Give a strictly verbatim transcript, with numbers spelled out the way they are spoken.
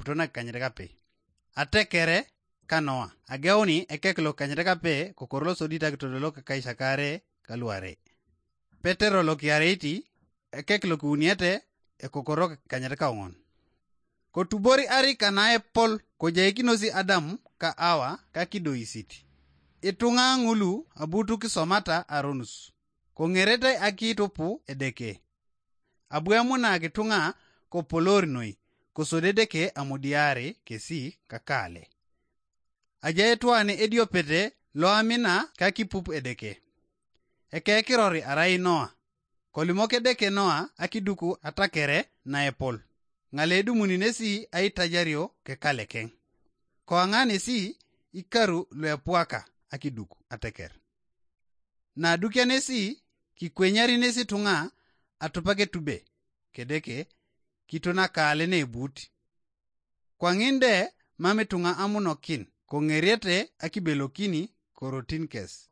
eputo nakikanyet kape. Atekere ka Noa, ageuni ekek lokikanyet kape kokoro losodit akitodolo kakaisakare kaluare. Petero lokiareiti, ekek lokiuniete, ekokoro kikanyet kaong'on. Kotubori arika naepol kojaikinosi Adam ka Awa kakidoisit. Ituŋa ŋulu abu tu kisomata aronus, koŋeretai akitupu Edeke. Abu emunak ituŋa kopolor noi, kosodi Edeke amudiari kesi kakale. Ajai etwan ediopete loamina kakipup Edeke. Ekekirori arai Noa. Kolimok Edeke Noa akiduku atakere naepol, ŋale edumuni nesi aitajario kekalekeng. Koaŋa nesi ikaru luepuaka akiduku ateker. Nadukia nesi, kikwenyari nesi ituŋa atupak etube, kedeke kitonakale neebut. Kwaŋin de mam ituŋa amunokin, koŋeriete akibelokini korotin kes.